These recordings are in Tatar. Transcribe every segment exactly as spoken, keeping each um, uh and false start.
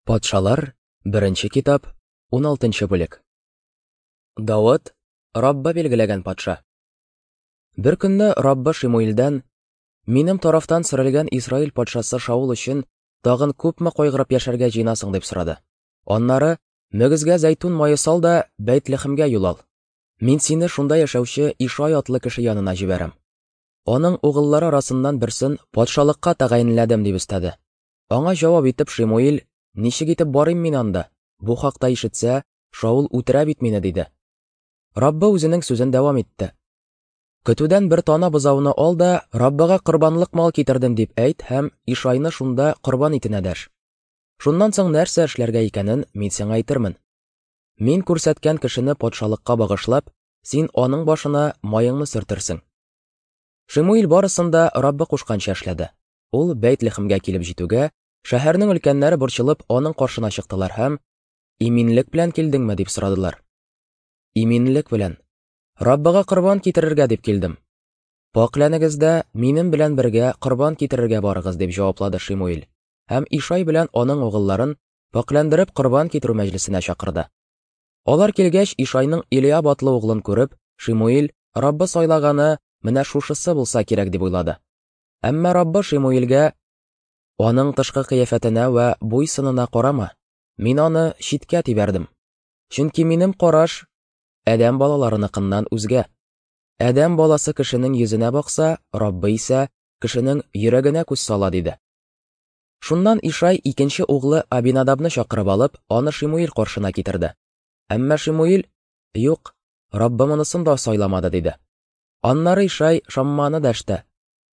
Патшалар, беренче китап, уналтынчы бүлек. Давыт, Раббы билгеләгән патша. Бер көнне Раббы Шимуилдән: "Минем тарафтан сөрелгән Исраил патшасы Шаул өчен тагын күпме кайгырып яшәргә җыенасың?" дип сорады. Аннары: "Мөгезгә зәйтүн мае сал да Бәйтлехемгә юл ал. Мин сине шунда яшәүче Ишай атлы кеше янына җибәрәм. Аның угыллары арасыннан берсен патшалыкка тәгаенләдем", дип өстәде. Аңа җавап итеп Шимуил: "Ничек итеп барыйм мин анда? Бу хакта ишетсә, Шаул үтерә бит мине", диде. Раббы үзенең сүзен дәвам итте. "Көтүдән бер тана бозауны ал да, Раббыга корбанлык мал китердем дип әйт һәм Ишайны шунда корбан итенә дәш. Шуннан соң нәрсә эшләргә икәнен мин сиңа әйтермен. Мин күрсәткән кешене патшалыкка багышлап, син аның башына маеңны сөртерсең." Шимуил барысын да Раббы кушканча эшләде. Ул Бәйтлехемгә килеп җитүгә, шәһәрнең өлкәннәре борчылып аның каршына чыктылар һәм: "Иминлек белән килдеңме?" дип сорадылар. "Иминлек белән. Раббыга корбан китерергә дип килдем. Пакьләнегез дә минем белән бергә корбан китерергә барыгыз", дип җаваплады Шимуил. Һәм Ишай белән аның угылларын пакьләндереп корбан китерү мәҗлесенә чакырды. Алар килгәч, Ишайның Илиаб атлы углын күреп, Шимуил: "Раббы сайлаганы менә шушысы булса кирәк", дип уйлады. Әмма Раббы Шимуилгә: "Аның тышкы кыяфәтенә вә буй-сынына карама, мин аны читкә тибәрдем. Чөнки минем караш адәм балаларыныкыннан үзгә. Адәм баласы кешенең йөзенә бакса, Раббы исә кешенең йөрәгенә күз сала", диде. Шуннан Ишай икенче углы Абинадабны чакырып алып, аны Шимуил каршына китерде. Әмма Шимуил: "Юк, Раббы монысын да сайламады", диде. Аннары Ишай Шамманы дәште.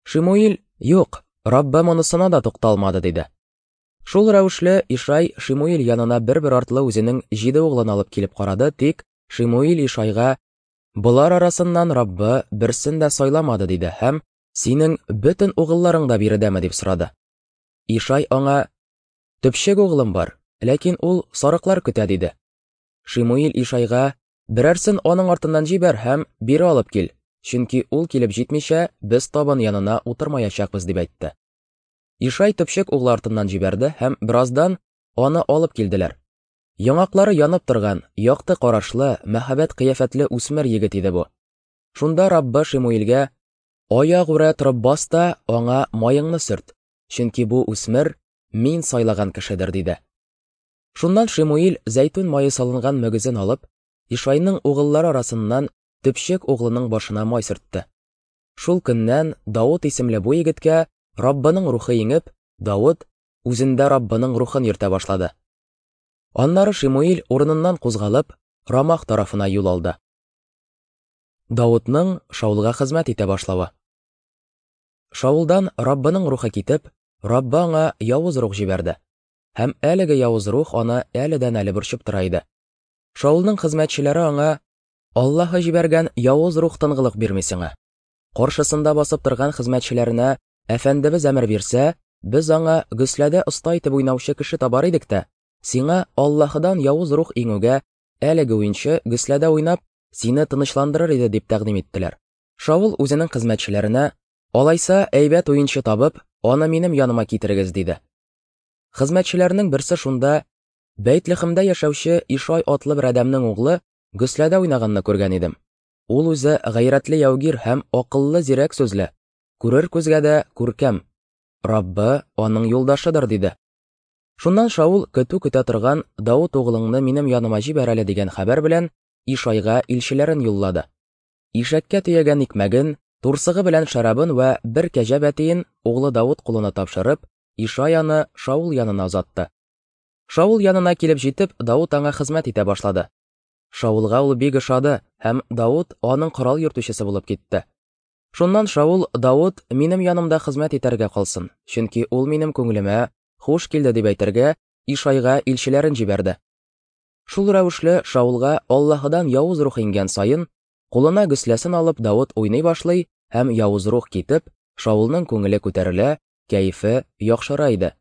Шимуил: "Юк, Раббы монысына да тукталмады", диде. Шул рәвешле Ишай Шимуил янына бер-бер артлы үзенең җиде углын алып килеп карады, тик Шимуил Ишайга: "Болар арасыннан Раббы берсен дә сайламады", диде һәм: "Синең бөтен угылларың да биредәме?" дип сорады. Ишай аңа: "Төпчек углым бар, ләкин ул сарыклар көтә", диде. Шимуил Ишайга: "Берәрсен аның артыннан җибәр һәм бире алып кил, чөнки ул килеп җитмичә без табын янына утырмаячакбыз", дип әйтте. Ишай төпчек углы артыннан җибәрде һәм бераздан аны алып килделәр. Яңаклары янып торган, якты карашлы, мәһабәт кыяфәтле үсмер егет иде бу. Шунда Раббы Шимуилгә: "Аягүрә торып бас та аңа маеңны сөрт, чөнки бу үсмер мин сайлаган кешедер", диде. Шуннан Шимуил зәйтүн мае салынган мөгезен алып, Ишайның угыллары арасыннан төпчек углының башына май сөртте. Шул көннән Давыт исемле бу егеткә Раббының рухы иңеп, Давыт үзендә Раббының рухын йөртә башлады. Аннары Шимуил урыныннан кузгалып, Рамах тарафына юл алды. Давытның Шаулга хезмәт итә башлавы. Шаулдан Раббының рухы китеп, Раббы аңа явыз рух җибәрде. Һәм әлеге явыз рух аны әледән-әле борчып тора иде. Шаулның хезмәтчеләре аңа: "Аллаһы җибәргән явыз рух тынгылык бирми сиңа. Каршысында басып торган хезмәтчеләренә: Әфәндебез әмер бирсә, без аңа гөсләдә оста итеп уйнаучы кеше табар идек тә, сиңа Аллаһыдан явыз рух иңүгә әлеге уенчы гөсләдә уйнап, сине тынычландырыр иде", дип тәкъдим иттеләр. Шаул үзенең хезмәтчеләренә: "Алайса әйбәт уенчы табып, аны минем яныма китерегез", диде. Хезмәтчеләрнең берсе шунда: "Бәйтлехемдә яшәүче Ишай атлы бер адәмнең углы гөсләдә уйнаганны күргән идем. Ул үзе гайрәтле яугир һәм акыллы зирәк сүзле, күрер күзгә дә күркәм. Раббы аның юлдашыдыр", диде. Шуннан Шаул көтү көтә торган Давыт углыңны минем яныма җибәр әле дигән хәбәр белән Ишайга илчеләрен юллады. Ишәккә төягән икмәген, турсыгы белән шәрабын вә бер кәҗә бәтиен углы Давыт кулына тапшырып, Ишай аны Шаул янына озатты. Шаул янына килеп җитеп, Давыт аңа хезмәт итә башлады. Шаулга ул бик ошады һәм Давыт аның корал йөртүчесе булып китте. Шуннан Шаул: "Давыт минем янымда хезмәт итәргә калсын, чөнки ул минем күңелемә хуш килде", дип әйтергә Ишайга илчеләрен җибәрде. Шул рәвешле Шаулга Аллаһыдан явыз рух иңгән саен, кулына гөсләсен алып Давыт уйный башлый һәм явыз рух китеп, Шаулның күңеле күтәрелә, кәефе яхшыра иде.